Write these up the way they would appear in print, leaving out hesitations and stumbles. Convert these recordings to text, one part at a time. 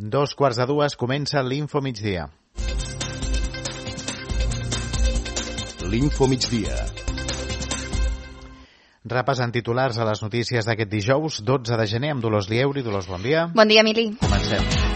2:15 comença l'Info Migdia. L'Info Migdia. Repassant titulars a les notícies d'aquest dijous, 12 de gener, amb Dolors Lieuri. Dolors, bon dia. Bon dia, Emili. Comencem.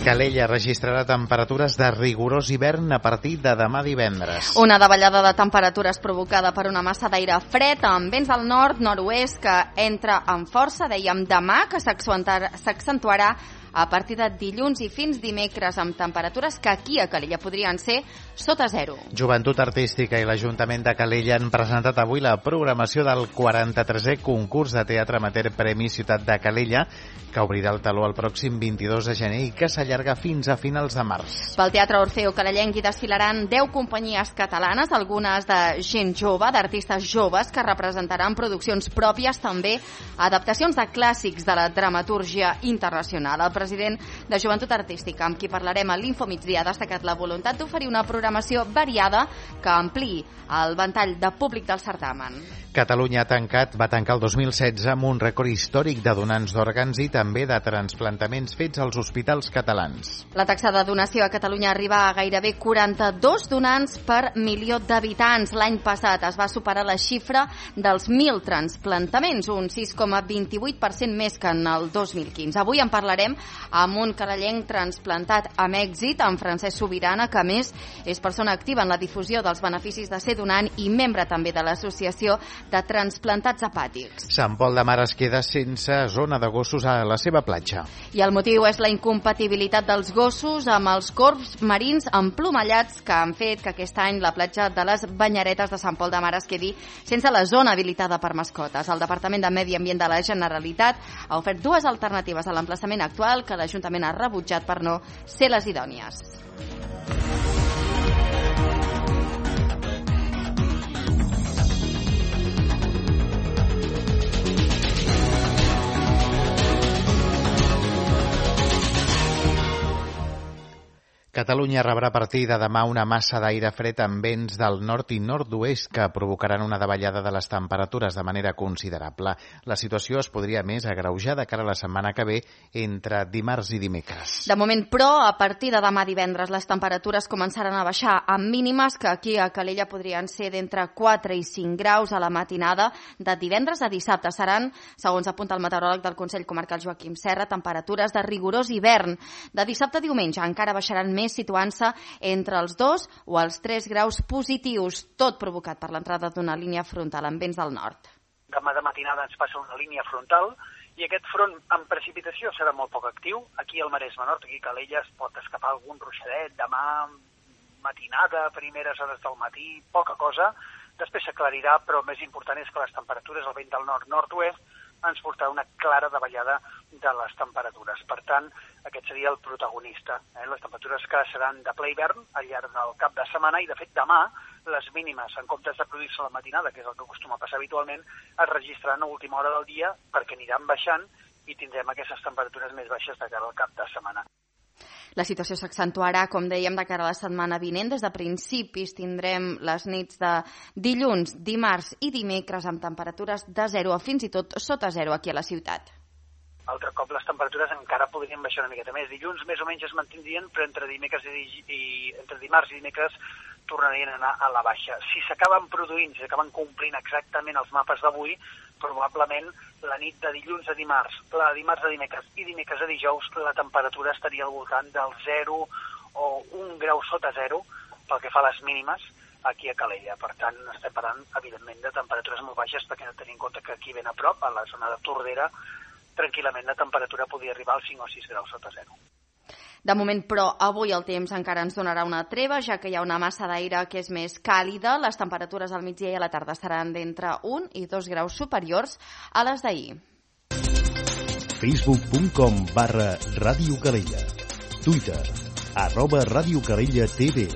Calella registrarà temperatures de rigorós hivern a partir de demà divendres. Una davallada de temperatures provocada per una massa d'aire fred amb vents del nord-nord-oest que entra amb força, dèiem demà, que s'accentuarà a partir de dilluns i fins dimecres amb temperatures que aquí a Calella podrien ser sota zero. Joventut Artística i l'Ajuntament de Calella han presentat avui la programació del 43è concurs de teatre amateur Premi Ciutat de Calella, que obrirà el teló el pròxim 22 de gener i que s'allarga fins a finals de març. Pel Teatre Orfeo Calellenc hi desfilaran 10 companyies catalanes, algunes de gent jove, d'artistes joves, que representaran produccions pròpies, també adaptacions de clàssics de la dramatúrgia internacional. El president de Joventut Artística, amb qui parlarem a l'Info Migdia, ha destacat la voluntat d'oferir una programació variada que ampliï el ventall de públic del certamen. Catalunya va tancar el 2016 amb un rècord històric de donants d'òrgans i també de transplantaments fets als hospitals catalans. La taxa de donació a Catalunya arriba a gairebé 42 donants per milió d'habitants. L'any passat es va superar la xifra dels 1.000 transplantaments, un 6,28% més que en el 2015. Avui en parlarem amb un calellenc transplantat amb èxit, en Francesc Subirana, que a més és persona activa en la difusió dels beneficis de ser donant i membre també de l'Associació de Transplantats Hepàtics. Sant Pol de Mar es queda sense zona de gossos a la seva platja. I el motiu és la incompatibilitat dels gossos amb els corbs marins emplomallats que han fet que aquest any la platja de les Banyeretes de Sant Pol de Mar es quedi sense la zona habilitada per mascotes. El Departament de Medi Ambient de la Generalitat ha ofert dues alternatives a l'emplaçament actual que l'Ajuntament ha rebutjat per no ser les idònies. Catalunya rebrà a partir de demà una massa d'aire fred amb vents del nord i nord-oest que provocaran una davallada de les temperatures de manera considerable. La situació es podria més agreujar de cara a la setmana que ve entre dimarts i dimecres. De moment, però, a partir de demà divendres les temperatures començaran a baixar amb mínimes que aquí a Calella podrien ser d'entre 4 i 5 graus a la matinada. De divendres a dissabte seran, segons apunta el meteoròleg del Consell Comarcal Joaquim Serra, temperatures de rigorós hivern. De dissabte a diumenge encara baixaran més, situant-se entre els 2 o els 3 graus positius, tot provocat per l'entrada d'una línia frontal amb vents del nord. Demà de matinada ens passa una línia frontal i aquest front en precipitació serà molt poc actiu. Aquí al Maresme Nord, aquí a Calella, es pot escapar algun ruixadet, demà matinada, primeres hores del matí, poca cosa. Després s'aclarirà, però el més important és que les temperatures al vent del nord-nord-oest ens portarà una clara davallada de les temperatures. Per tant, aquest seria el protagonista. Les temperatures que seran de ple hivern al llarg del cap de setmana i, de fet, demà les mínimes, en comptes de produir-se a la matinada, que és el que acostuma a passar habitualment, es registraran a última hora del dia perquè aniran baixant i tindrem aquestes temperatures més baixes de cara al cap de setmana. La situació s'accentuarà, com dèiem, de cara a la setmana vinent. Des de principis tindrem les nits de dilluns, dimarts i dimecres amb temperatures de 0 a fins i tot sota 0 aquí a la ciutat. Altre cop les temperatures encara podrien baixar una miqueta més. Dilluns més o menys es mantindrien, però entre dimarts i dimecres tornarien a anar a la baixa. Si s'acaben produint, si s'acaben complint exactament els mapes d'avui, probablement la nit de dilluns a dimarts, la de dimarts a dimecres i dimecres a dijous, la temperatura estaria al voltant del 0 o 1 grau sota 0 pel que fa a les mínimes aquí a Calella. Per tant, estem parlant, evidentment, de temperatures molt baixes perquè hem de tenir en compte que aquí ben a prop, a la zona de Tordera, tranquil·lament la temperatura podria arribar als 5 o 6 graus sota 0. De moment, però, avui el temps encara ens donarà una treva, ja que hi ha una massa d'aire que és més càlida. Les temperatures al migdia i a la tarda seran d'entre 1 i 2 graus superiors a les d'ahir. Facebook.com/Ràdio Calella. Twitter @Ràdio Calella TV.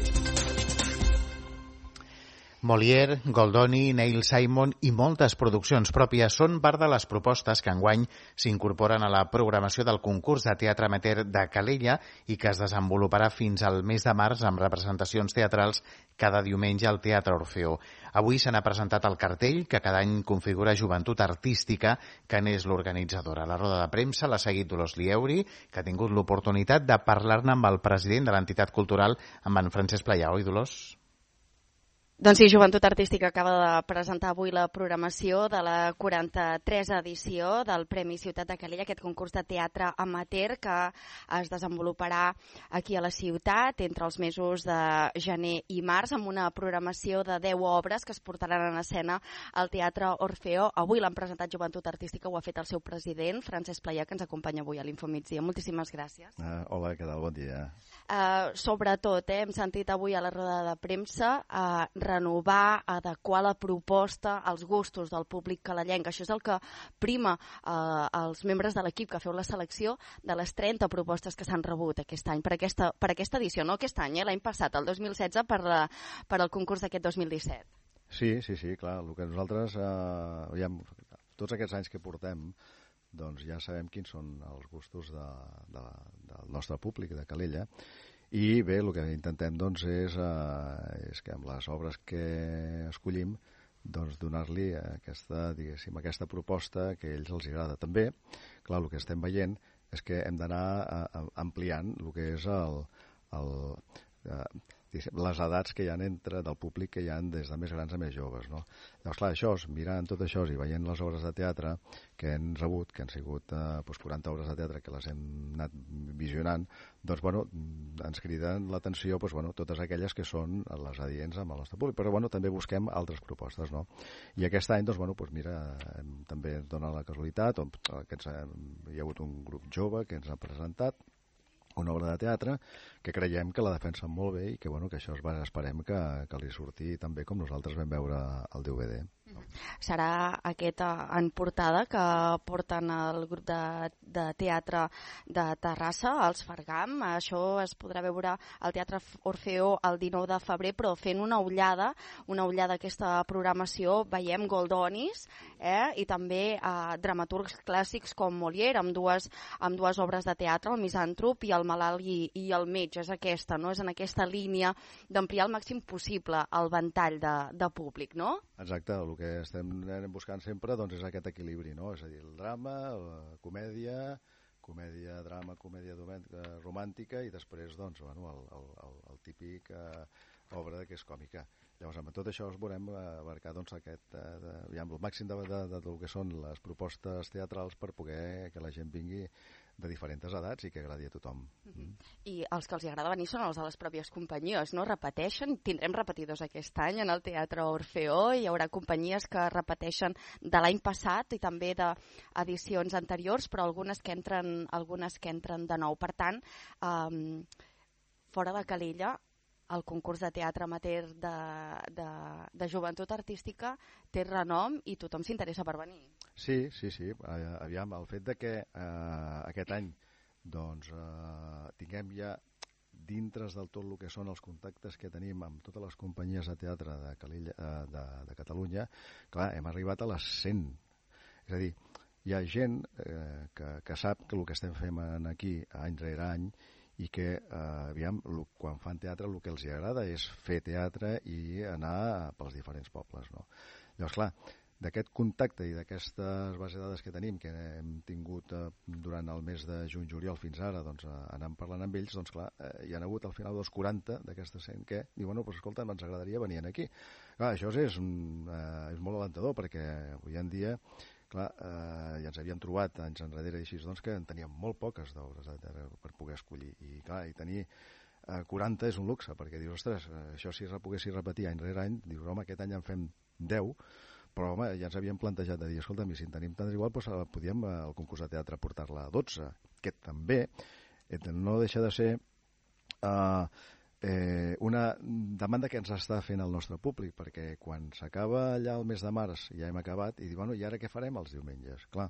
Molière, Goldoni, Neil Simon i moltes produccions pròpies són part de les propostes que enguany s'incorporen a la programació del concurs de teatre amateur de Calella i que es desenvoluparà fins al mes de març amb representacions teatrals cada diumenge al Teatre Orfeó. Avui se n'ha presentat el cartell que cada any configura Joventut Artística, que n'és l'organitzadora. La roda de premsa l'ha seguit Dolors Lieuri, que ha tingut l'oportunitat de parlar-ne amb el president de l'entitat cultural, amb en Francesc Playà. Oi, Dolors? Doncs sí, Joventut Artística acaba de presentar avui la programació de la 43a edició del Premi Ciutat de Calella, aquest concurs de teatre amateur que es desenvoluparà aquí a la ciutat entre els mesos de gener i març, amb una programació de 10 obres que es portaran en escena al Teatre Orfeó. Avui l'han presentat Joventut Artística, ho ha fet el seu president, Francesc Playà, que ens acompanya avui a l'Infomigdia. Moltíssimes gràcies. Hola, què tal? Bon dia. Sobretot, hem sentit avui a la roda de premsa renovar, adequar la proposta als gustos del públic calellenc. Això és el que prima els membres de l'equip que feu la selecció de les 30 propostes que s'han rebut aquest any, per aquesta edició, no aquest any, l'any passat, el 2016, per al concurs d'aquest 2017. Sí, clar, el que nosaltres, tots aquests anys que portem, doncs ja sabem quins són els gustos del nostre públic de Calella. I bé, el que intentem doncs, és que amb les obres que escollim doncs, donar-li aquesta proposta que a ells els agrada. També, clar, el que estem veient és que hem d'anar ampliant el que és les edats que hi ha del públic que hi ha des de més grans a més joves, no? Llavors, clar, mirant tot això i veient les obres de teatre que hem rebut, que han sigut 40 obres de teatre que les hem anat visionant, doncs, ens criden l'atenció totes aquelles que són les adients amb el nostre públic, però, també busquem altres propostes, no? I aquest any, també ens dona la casualitat, hi ha hagut un grup jove que ens ha presentat una obra de teatre que creiem que la defensen molt bé i que, que això esperem que li surti tan bé com nosaltres vam veure el DVD. Serà aquest en portada que porten el grup de teatre de Terrassa, els Fergam. Això es podrà veure al Teatre Orfeó el 19 de febrer, però fent una ullada a aquesta programació veiem Goldonis i també dramaturgs clàssics com Molière, amb dues obres de teatre, el Misàntrop i el Malalt i el Metge. És aquesta, no? És en aquesta línia d'ampliar al màxim possible el ventall de públic, no? Exacte, el que estem buscant sempre doncs, és aquest equilibri, no? És a dir, el drama, la comèdia, drama, comèdia romàntica i després doncs, el típic obra que és còmica. Llavors, amb tot això volem abarcar doncs, el màxim del que són les propostes teatrals per poder que la gent vingui de diferents edats i que agradi a tothom. I els que els agrada venir són els de les pròpies companyies, no? Repeteixen? Tindrem repetidors aquest any en el Teatre Orfeó, hi haurà companyies que repeteixen de l'any passat i també d'edicions anteriors, però algunes que entren de nou. Per tant, fora de Calella, el concurs de teatre amateur de Joventut Artística té renom i tothom s'interessa per venir. Sí. Aviam, el fet de que aquest any doncs, tinguem ja dintre del tot el que són els contactes que tenim amb totes les companyies de teatre de Catalunya, clar, hem arribat a les 100. És a dir, hi ha gent que sap que el que estem fent aquí any rere any i que, quan fan teatre el que els agrada és fer teatre i anar pels diferents pobles, no? Llavors, clar, d'aquest contacte i d'aquestes bases de dades que tenim, que hem tingut durant el mes de juny-juliol fins ara, doncs, anant parlant amb ells, doncs, clar, hi ha hagut al final 40 d'aquestes 100 que diuen, escolta, ens agradaria venir aquí. Clar, això és molt alentador, perquè avui en dia clar, ja ens havíem trobat anys enrere així, doncs, que en teníem molt poques d'obres per poder escollir. I clar, i tenir 40 és un luxe, perquè dius, ostres, això si poguessis repetir any rere any, dius, home, aquest any en fem 10, però home, ja ens havíem plantejat de dir, escolta'm, si en tenim tant igual, doncs podíem al concurs de teatre portar-la a 12, que també no deixa de ser una demanda que ens està fent el nostre públic, perquè quan s'acaba allà el mes de març ja hem acabat i diu, i ara què farem els diumenges? Clar,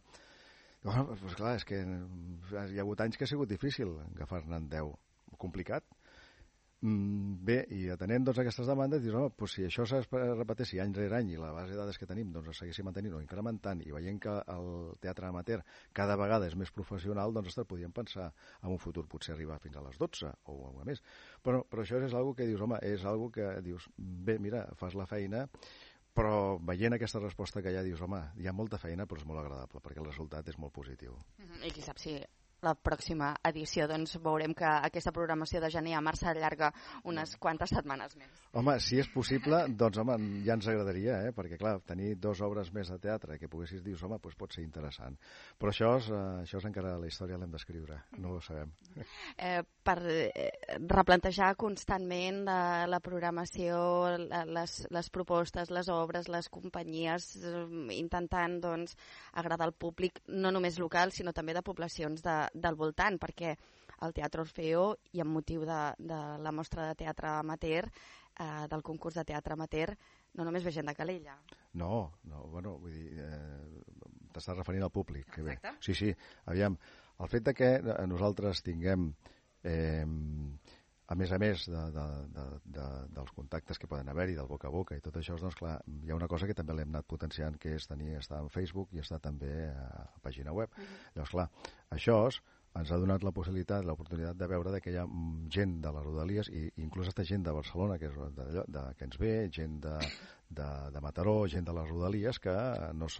clar, és que hi ha hagut anys que ha sigut difícil agafar-ne 10, complicat, Bé, i atenent aquestes demandes, dius, home, doncs si això es repeteixi any rere any i la base de dades que tenim es segueixi mantenint o incrementant i veient que el teatre amateur cada vegada és més professional, doncs podríem pensar en un futur potser arribar fins a les 12 o alguna més. Però això és algo que dius, home, és algo que dius, bé, mira, fas la feina, però veient aquesta resposta que ja dius, home, hi ha molta feina, però és molt agradable, perquè el resultat és molt positiu. I qui sap si la pròxima edició doncs veurem que aquesta programació de gener a març s'allarga unes quantes setmanes més. Home, si és possible, doncs home, ja ens agradaria, perquè clar, tenir 2 obres més de teatre que poguessis dir, home, doncs pot ser interessant. Però això és encara la història l'hem d'escriure, no ho sabem. Per replantejar constantment la programació, les propostes, les obres, les companyies, intentant doncs agradar al públic, no només local, sinó també de poblacions del voltant, perquè el Teatre Orfeo, i amb motiu de la mostra de teatre amateur, del concurs de teatre amateur, no només ve gent de Calella. No, bueno, vull dir, t'estàs referint al públic. Exacte. Sí, aviam, el fet de que nosaltres tinguem, a més dels contactes que poden haver-hi, del boca a boca i tot això, doncs clar, hi ha una cosa que també l'hem anat potenciant, que és estar en Facebook i estar també a pàgina web. Llavors, clar, això ens ha donat l'oportunitat de veure que hi ha gent de les Rodalies, i inclús aquesta gent de Barcelona, que ens ve, gent de Mataró, gent de les Rodalies, que no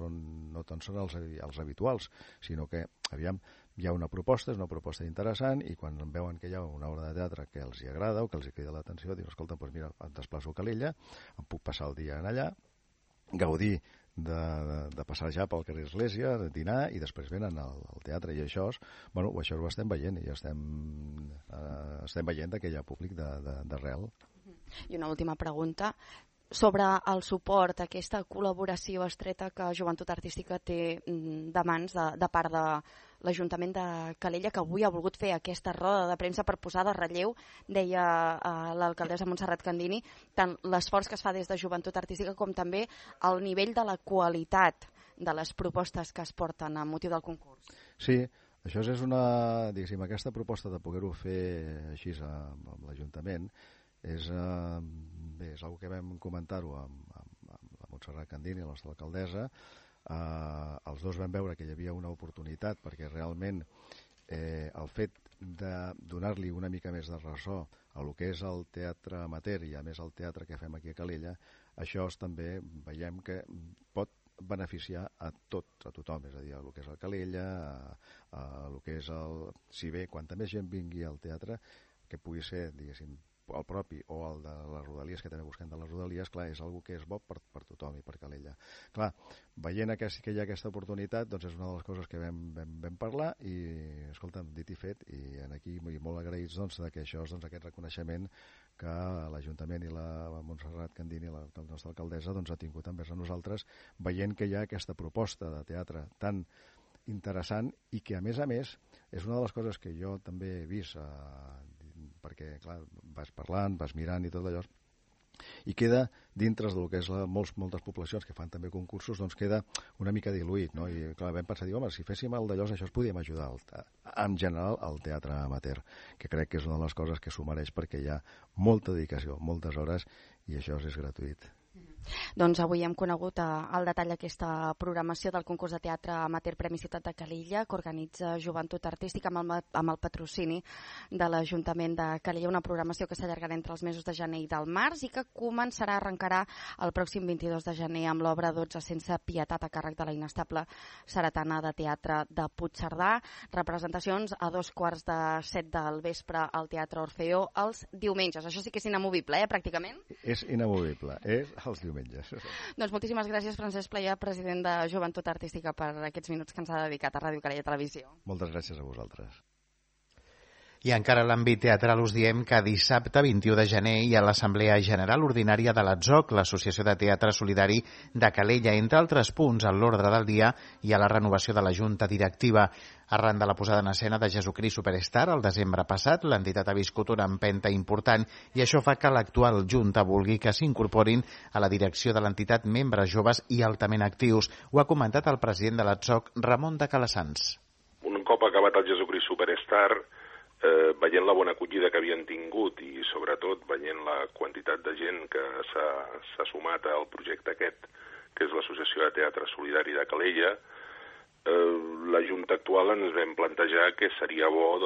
tant són els habituals, sinó que, aviam, hi ha una proposta, és una proposta interessant, i quan veuen que hi ha una obra de teatre que els hi agrada o que els hi crida l'atenció, diuen, escolta, doncs mira, em desplaço a Calella, em puc passar el dia allà, gaudir de passejar pel carrer Església, de dinar, i després venen al teatre, i això ho estem veient, i estem veient que hi ha públic d'arrel. I una última pregunta sobre el suport, aquesta col·laboració estreta que Joventut Artística té de mans de part de l'Ajuntament de Calella, que avui ha volgut fer aquesta roda de premsa per posar de relleu, deia l'alcaldessa Montserrat Candini, tant l'esforç que es fa des de Joventut Artística com també el nivell de la qualitat de les propostes que es porten a motiu del concurs. Sí, això és diguéssim, aquesta proposta de poder-ho fer així amb l'Ajuntament és una que vam comentar-ho amb la Montserrat Candini, la nostra alcaldessa. Els dos vam veure que hi havia una oportunitat, perquè realment el fet de donar-li una mica més de ressò a el que és el teatre amateur i a més el teatre que fem aquí a Calella, això també veiem que pot beneficiar a tothom, és a dir, a el que és el Calella, a el que és si bé, quanta més gent vingui al teatre, que pugui ser, diguéssim, el propi o el de les Rodalies, que també busquem de les Rodalies, clar, és una que és bo per tothom i per Calella. Clar, veient que sí que hi ha aquesta oportunitat, doncs és una de les coses que vam parlar i, escolta'm, dit i fet, i aquí molt agraïts que això és aquest reconeixement que l'Ajuntament i la Montserrat Candini, la nostra alcaldessa, ha tingut envers a nosaltres, veient que hi ha aquesta proposta de teatre tan interessant i que, a més, és una de les coses que jo també he vist, perquè, clar, vas parlant, vas mirant i tot allò, i queda dintre del que és moltes poblacions que fan també concursos, doncs queda una mica diluït, no? I clar, vam pensar, home, si féssim el d'allò, això es podíem ajudar en general al teatre amateur, que crec que és una de les coses que s'ho mereix, perquè hi ha molta dedicació, moltes hores, i això és gratuït. Doncs avui hem conegut al detall aquesta programació del concurs de teatre amateur Premi Ciutat de Calella, que organitza Joventut Artística amb el patrocini de l'Ajuntament de Calella, una programació que s'allargarà entre els mesos de gener i del març i que arrencarà el pròxim 22 de gener amb l'obra 12 sense pietat a càrrec de la inestable Saretana de Teatre de Puigcerdà. Representacions a 6:45 del vespre al Teatre Orfeo els diumenges. Això sí que és inamovible, pràcticament? És inamovible, és els diumenges. Doncs moltíssimes gràcies, Francesc Playà, president de Joventut Artística, per aquests minuts que ens ha dedicat a Ràdio Calella Televisió. Moltes gràcies a vosaltres. I encara a l'àmbit teatral us diem que dissabte 21 de gener hi ha l'Assemblea General Ordinària de l'ATZOC, l'Associació de Teatre Solidari de Calella. Entre altres punts, a l'ordre del dia hi ha la renovació de la Junta Directiva. Arran de la posada en escena de Jesucrist Superstar el desembre passat, l'entitat ha viscut una empenta important i això fa que l'actual Junta vulgui que s'incorporin a la direcció de l'entitat membres joves i altament actius. Ho ha comentat el president de l'ATZOC, Ramon de Calassans. Un cop acabat el Jesucrist Superstar, veient la bona acollida que havien tingut i sobretot veient la quantitat de gent que s'ha sumat al projecte aquest, que és l'Associació de Teatre Solidari de Calella, la Junta actual ens vam plantejar que seria bo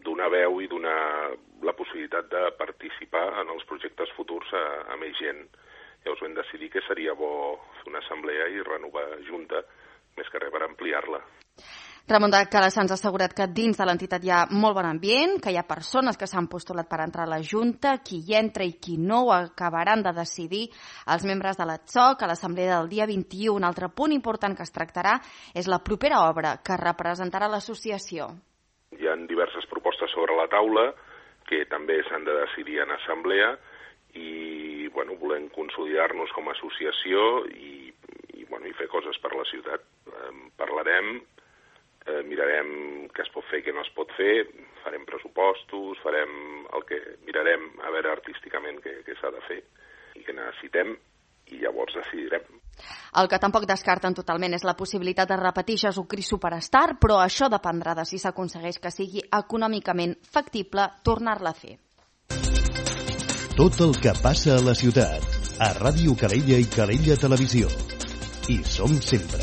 donar veu i donar la possibilitat de participar en els projectes futurs a més gent. Llavors vam decidir que seria bo fer una assemblea i renovar Junta, més que res per ampliar-la. Ramon de Calassans ha assegurat que dins de l'entitat hi ha molt bon ambient, que hi ha persones que s'han postulat per entrar a la Junta, qui hi entra i qui no ho acabaran de decidir els membres de l'ATSOC a l'assemblea del dia 21. Un altre punt important que es tractarà és la propera obra que representarà l'associació. Hi ha diverses propostes sobre la taula que també s'han de decidir en assemblea i volem consolidar-nos com a associació i fer coses per la ciutat. Parlarem, mirarem què es pot fer i què no es pot fer, farem pressupostos, farem el que mirarem a veure artísticament què s'ha de fer i què necessitem i llavors decidirem. El que tampoc descarten totalment és la possibilitat de repetir Jesucrist Superstar, però això dependrà de si s'aconsegueix que sigui econòmicament factible tornar-la a fer. Tot el que passa a la ciutat, a Ràdio Calella i Calella Televisió. Hi som sempre.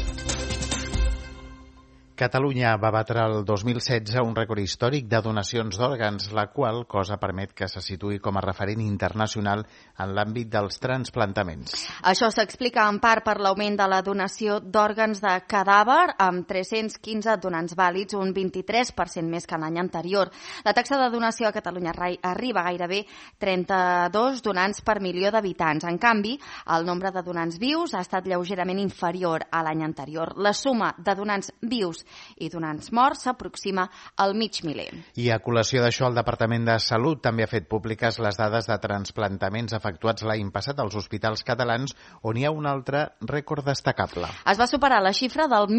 Catalunya va batre el 2016 un rècord històric de donacions d'òrgans, la qual cosa permet que se situï com a referent internacional en l'àmbit dels transplantaments. Això s'explica en part per l'augment de la donació d'òrgans de cadàver, amb 315 donants vàlids, un 23% més que l'any anterior. La taxa de donació a Catalunya arriba a gairebé 32 donants per milió d'habitants. En canvi, el nombre de donants vius ha estat lleugerament inferior a l'any anterior. La suma de donants vius i donants morts s'aproxima al mig miler. I a col·lació d'això, el Departament de Salut també ha fet públiques les dades de transplantaments efectuats l'any passat als hospitals catalans, on hi ha un altre rècord destacable. Es va superar la xifra dels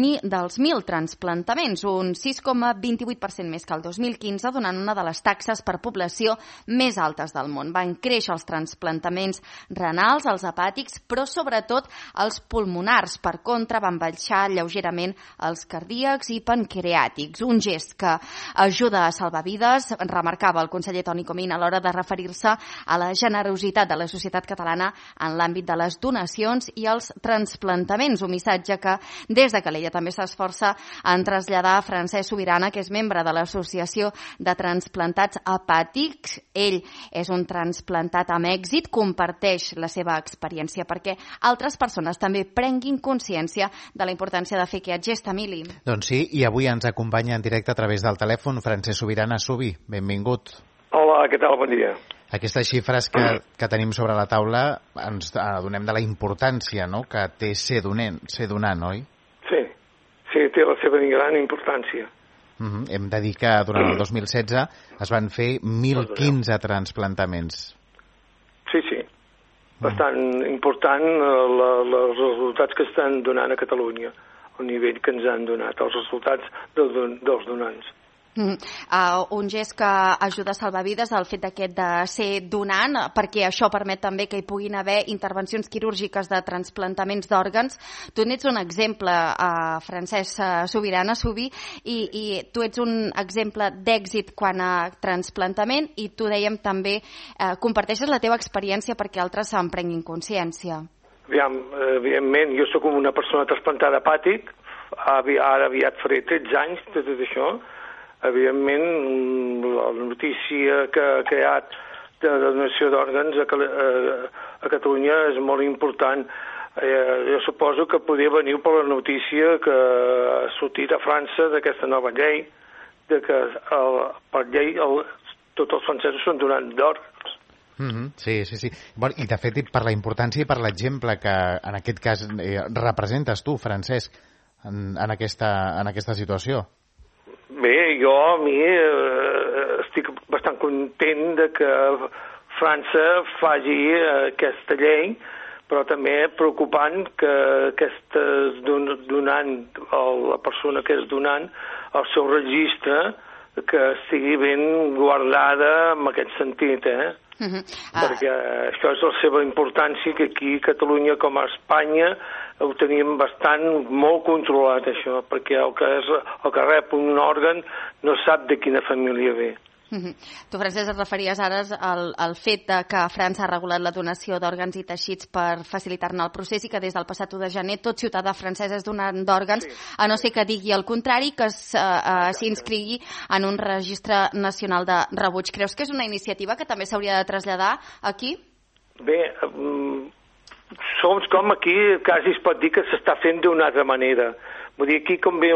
1.000 transplantaments, un 6,28% més que el 2015, donant una de les taxes per població més altes del món. Van créixer els transplantaments renals, els hepàtics, però sobretot els pulmonars. Per contra, van baixar lleugerament els cardíacs i pancreàtics, un gest que ajuda a salvar vides, remarcava el conseller Toni Comín a l'hora de referir-se a la generositat de la societat catalana en l'àmbit de les donacions i els transplantaments, un missatge que des de Calella també s'esforça en traslladar a Francesc Subirana, que és membre de l'Associació de Transplantats Hepàtics. Ell és un transplantat amb èxit, comparteix la seva experiència perquè altres persones també prenguin consciència de la importància de fer aquest gest, Emili. Doncs sí, i avui ens acompanya en directe a través del telèfon Francesc Subirana. Subi, benvingut. Hola, què tal? Bon dia. Aquestes xifres que tenim sobre la taula ens adonem de la importància, no?, que té ser donant, oi? Sí, té la seva gran importància. Hem de dir que durant el 2016 es van fer 1.015 transplantaments. Sí. Bastant important els resultats que estan donant a Catalunya, el nivell que ens han donat, els resultats dels donants. Un gest que ajuda a salvar vides, el fet d'aquest de ser donant, perquè això permet també que hi puguin haver intervencions quirúrgiques de transplantaments d'òrgans. Tu n'ets un exemple, Francesc Subirana, i tu ets un exemple d'èxit quan a transplantament, i tu dèiem també comparteixes la teva experiència perquè altres se'n prenguin consciència. Evidentment, jo sóc una persona trasplantada hepàtic, ara aviat faré 13 anys de tot això. Evidentment, la notícia que ha creat de donació d'òrgans a Catalunya és molt important. Jo suposo que podria venir per la notícia que ha sortit a França d'aquesta nova llei, de que per llei tots els francesos són donants d'òrgans. Sí. Bueno, i de fet, per la importància i per l'exemple que en aquest cas representes tu, Francesc, en aquesta situació. Bé, a mi estic bastant content de que França faci aquesta llei, però també preocupant que aquesta donant, la persona que és donant, el seu registre, que estigui ben guardada en aquest sentit, perquè això és la seva importància, que aquí a Catalunya com a Espanya ho teníem molt controlat, això, perquè el que rep un òrgan no sap de quina família ve. Tu, Francesc, et referies ara al fet que França ha regulat la donació d'òrgans i teixits per facilitar-ne el procés i que des del passat 1 de gener tot ciutadà francès és donant d'òrgans, a no ser que digui el contrari, que s'inscrigui en un registre nacional de rebuig. Creus que és una iniciativa que també s'hauria de traslladar aquí? Bé, com aquí quasi es pot dir que s'està fent d'una altra manera. Vull dir, aquí com ve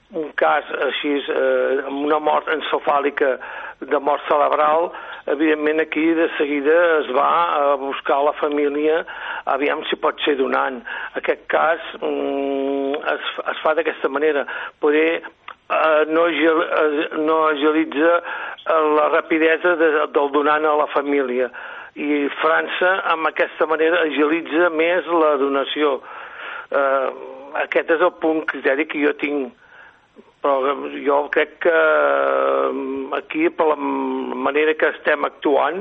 un cas així, amb una mort encefàlica de mort cerebral, evidentment aquí de seguida es va a buscar la família, aviam si pot ser donant. Aquest cas es fa d'aquesta manera. Poder no agilitza la rapidesa del donant a la família. I França, amb aquesta manera, agilitza més la donació. Aquest és el punt criteri que jo tinc. Però jo crec que aquí, per la manera que estem actuant,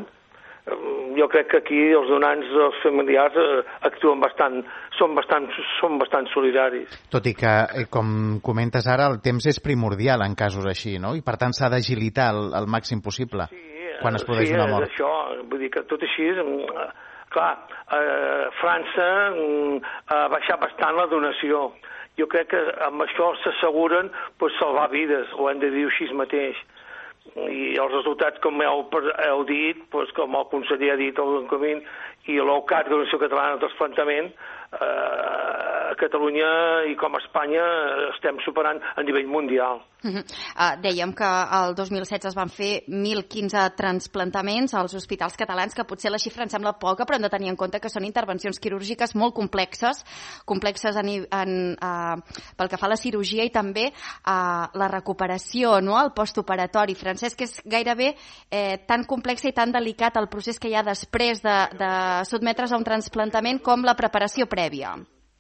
jo crec que aquí els donants, els familiars, actuen són bastant solidaris. Tot i que, com comentes ara, el temps és primordial en casos així, no? I per tant s'ha d'agilitar al màxim possible quan es produeix una mort. Sí, això, vull dir que tot així, clar, França ha baixat bastant la donació. Jo crec que amb això s'asseguren salvar vides, ho hem de dir així mateix. I els resultats, com heu dit, com el conseller ha dit, el Comín, i l'OCAT, l'Organització Catalana de Trasplantament, a Catalunya i com a Espanya estem superant a nivell mundial. Dèiem que el 2016 es van fer 1.015 transplantaments als hospitals catalans, que potser la xifra em sembla poca, però hem de tenir en compte que són intervencions quirúrgiques molt complexes pel que fa a la cirurgia i també a la recuperació, no? El postoperatori. Francesc, és gairebé tan complexa i tan delicat el procés que hi ha després de sotmetre's a un transplantament com la preparació prèvia.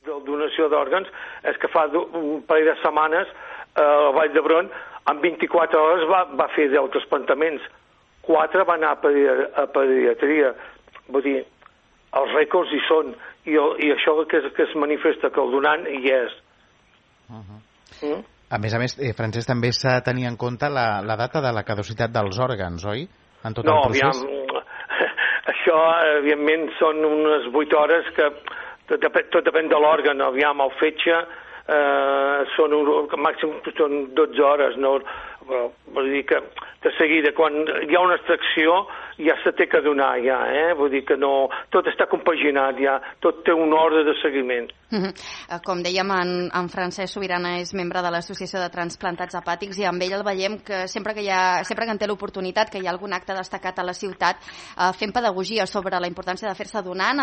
La donació d'òrgans és que fa un parell de setmanes a Vall d'Hebron, en 24 hores va fer 10 transplantaments. 4 van anar a pediatria. Vull dir, els rècords hi són. I això que es manifesta, que el donant hi és. A més, Francesc, també s'ha de tenir en compte la data de la caducitat dels òrgans, oi? En tot el procés? No, això, evidentment, són unes 8 hores que tot depèn de l'òrgan. Aviam, el fetge màxim són 12 hores, no? Vull dir que de seguida, quan hi ha una extracció, ja se té que donar, vull dir que no, tot està compaginat, tot té un ordre de seguiment. Com dèiem, en Francesc Subirana és membre de l'Associació de Transplantats Hepàtics i amb ell el veiem que sempre que en té l'oportunitat, que hi ha algun acte destacat a la ciutat, fent pedagogia sobre la importància de fer-se donant,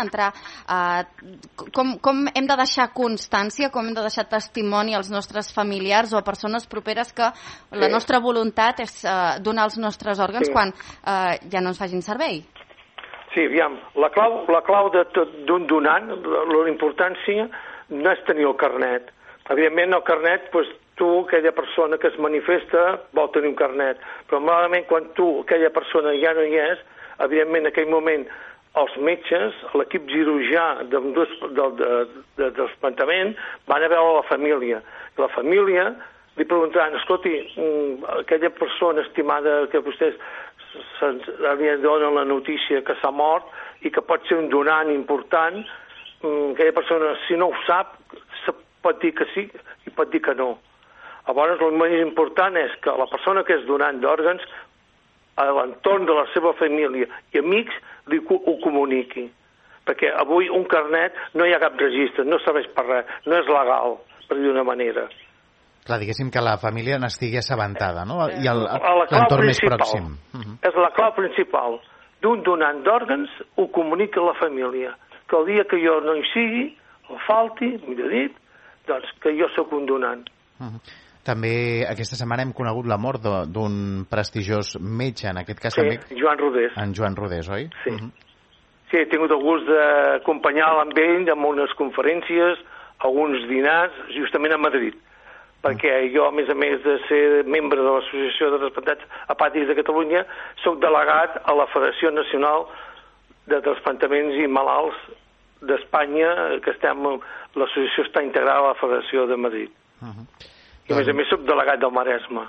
com hem de deixar constància, com hem de deixar testimoni als nostres familiars o a persones properes que la nostra voluntat és donar els nostres òrgans quan ja no ens facin servei. Sí, aviam, la clau d'un donant, la importància no és tenir el carnet. Evidentment, el carnet, tu, aquella persona que es manifesta, vol tenir un carnet. Però, malament, quan aquella persona ja no hi és, evidentment, en aquell moment, els metges, l'equip cirurgià de trasplantament, van a veure la família. La família li preguntaran, escolti, aquella persona estimada que vostès li donen la notícia que s'ha mort i que pot ser un donant important, aquella persona, si no ho sap, pot dir que sí i pot dir que no. Llavors, el més important és que la persona que és donant d'òrgans, a l'entorn de la seva família i amics, ho comuniqui. Perquè avui un carnet no hi ha cap registre, no serveix per res, no és legal, per dir d'una manera. Clar, diguéssim que la família n'estigui assabentada, no? I l'entorn més pròxim. És la clau principal. D'un donant d'òrgans ho comunica a la família. Que el dia que jo no hi sigui, o falti, millor dit, doncs que jo sóc un donant. També aquesta setmana hem conegut la mort d'un prestigiós metge, en aquest cas també... Sí, Joan Rodés. En Joan Rodés, oi? Sí. Sí, he tingut el gust d'acompanyar-lo amb ell en unes conferències, alguns dinars, justament a Madrid. Perquè jo, a més de ser membre de l'Associació de Transplantats Hepàtics de Catalunya, soc delegat a la Federació Nacional de Transplantaments i Malalts d'Espanya, que l'associació està integrada a la Federació de Madrid. I a més soc delegat del Maresme.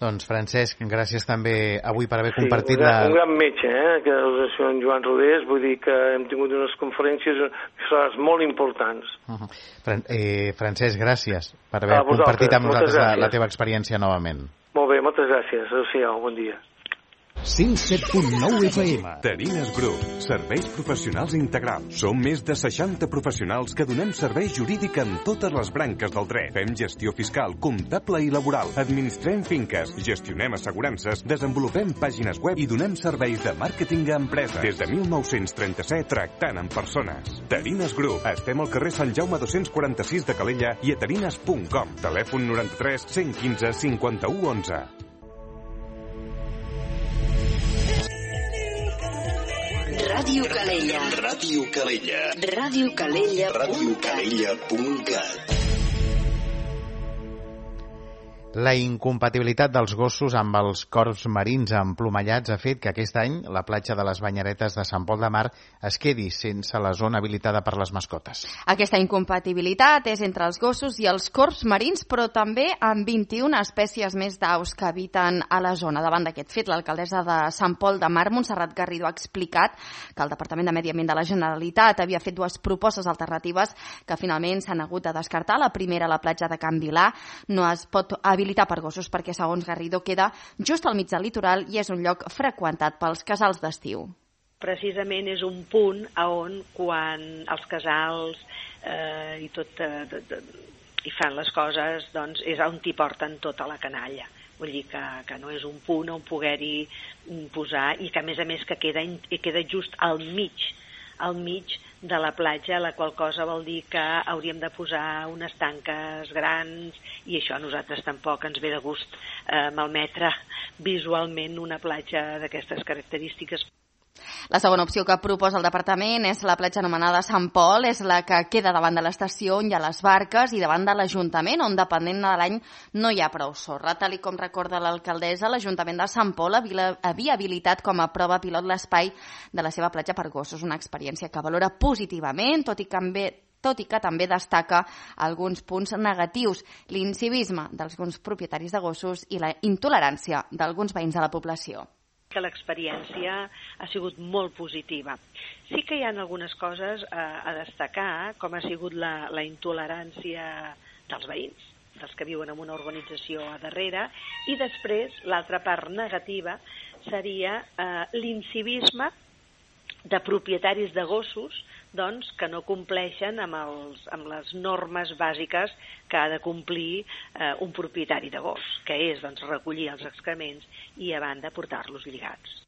Doncs, Francesc, gràcies també avui per haver compartit un gran metge, que és l'associació en Joan Rodés. Vull dir que hem tingut unes conferències molt importants. Francesc, gràcies per haver compartit amb nosaltres la teva experiència novament. Molt bé, moltes gràcies. Adéu-siau, bon dia. 107.9 FM. Terines Group, serveis professionals integrals. Som més de 60 professionals que donem servei jurídic en totes les branques del dret. Fem gestió fiscal, comptable i laboral. Administrem finques, gestionem assegurances, desenvolupem pàgines web i donem serveis de màrqueting a empreses. Des de 1937, tractant amb persones. Terines Group. Estem al carrer Sant Jaume 246 de Calella i a terines.com. Telèfon 93 115 51 11. Ràdio Calella. Ràdio Calella. radiocalella.cat. La incompatibilitat dels gossos amb els corps marins emplomallats ha fet que aquest any la platja de les Banyeretes de Sant Pol de Mar es quedi sense la zona habilitada per les mascotes. Aquesta incompatibilitat és entre els gossos i els corps marins, però també amb 21 espècies més d'aus que habiten a la zona. Davant d'aquest fet, l'alcaldessa de Sant Pol de Mar, Montserrat Garrido, ha explicat que el Departament de Medi Ambient de la Generalitat havia fet dues propostes alternatives que finalment s'han hagut de descartar. La primera, la platja de Can Vilà, no es pot habilitar per gossos perquè, segons Garrido, queda just al mig del litoral i és un lloc freqüentat pels casals d'estiu. Precisament és un punt on quan els casals i fan les coses, doncs és on t'hi porten tota la canalla. Vull dir que no és un punt on poder-hi posar i que, a més que queda just al mig de la platja, la qual cosa vol dir que hauríem de posar unes tanques grans i això a nosaltres tampoc ens ve de gust malmetre visualment una platja d'aquestes característiques. La segona opció que proposa el departament és la platja anomenada Sant Pol, és la que queda davant de l'estació on hi ha les barques i davant de l'Ajuntament, on depenent de l'any no hi ha prou sorra. Tal com recorda l'alcaldessa, l'Ajuntament de Sant Pol havia habilitat com a prova pilot l'espai de la seva platja per gossos, una experiència que valora positivament, tot i que també destaca alguns punts negatius, l'incivisme d'alguns propietaris de gossos i la intolerància d'alguns veïns de la població. Que l'experiència ha sigut molt positiva. Sí que hi ha algunes coses a destacar, com ha sigut la intolerància dels veïns, dels que viuen en una urbanització a darrere, i després l'altra part negativa seria l'incivisme de propietaris de gossos que no compleixen amb les normes bàsiques que ha de complir un propietari de gos, que és recollir els excrements i a banda portar-los lligats.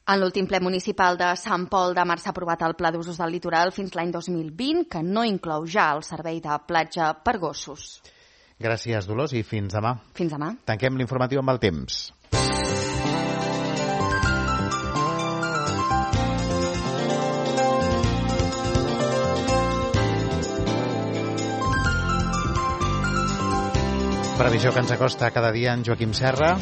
En l'últim ple municipal de Sant Pol de Mar s'ha aprovat el Pla d'Usos del Litoral fins l'any 2020, que no inclou ja el servei de platja per gossos. Gràcies, Dolors, i fins demà. Fins demà. Tanquem l'informatiu amb el temps. Previsió que ens acosta cada dia en Joaquim Serra.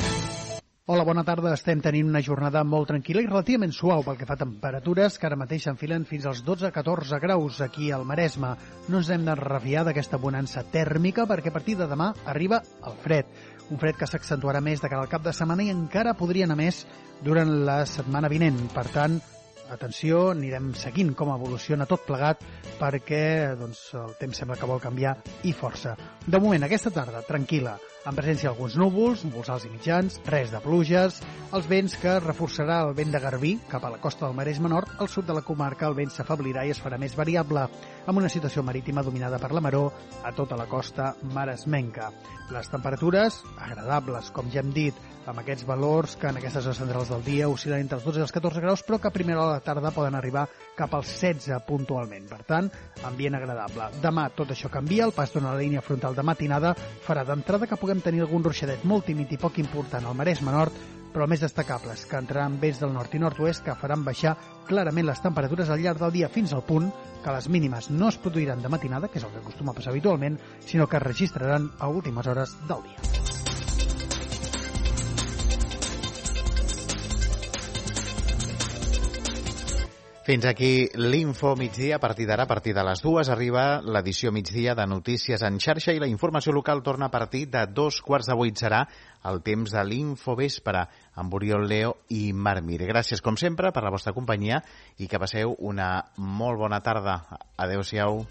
Hola, bona tarda. Estem tenint una jornada molt tranquil·la i relativament suau pel que fa a temperatures, que ara mateix s'enfilen fins als 12-14 graus aquí al Maresme. No ens hem de refiar d'aquesta bonança tèrmica perquè a partir de demà arriba el fred. Un fred que s'accentuarà més de cara al cap de setmana i encara podria anar més durant la setmana vinent. Per tant, atenció, anirem seguint com evoluciona tot plegat perquè el temps sembla que vol canviar i força. De moment, aquesta tarda, tranquil·la, en presència d'alguns núvols, núvols alts i mitjans, res de pluges, els vents que reforçarà el vent de Garbí cap a la costa del Maresme Nord, al sud de la comarca el vent s'afeblirà i es farà més variable, amb una situació marítima dominada per la maró a tota la costa maresmenca. Les temperatures agradables, com ja hem dit, amb aquests valors que en aquestes hores centrals del dia oscil·len entre els 12 i els 14 graus, però que a primera hora de la tarda poden arribar cap als 16 puntualment. Per tant, ambient agradable. Demà tot això canvia, el pas d'una línia frontal de matinada farà d'entrada que puguem tenir algun ruixadet molt tímid i poc important al Maresme Nord, però el més destacable és que entraran vents del nord i nord-oest que faran baixar clarament les temperatures al llarg del dia fins al punt que les mínimes no es produiran de matinada, que és el que acostuma a passar habitualment, sinó que es registraran a últimes hores del dia. Fins aquí l'Info Migdia. A partir d'ara, a partir de les 2, arriba l'edició migdia de Notícies en xarxa i la informació local torna a partir de 2:15. Serà el temps de l'Info Vespre amb Oriol Leo i Marc Mir. Gràcies, com sempre, per la vostra companyia i que passeu una molt bona tarda. Adéu-siau.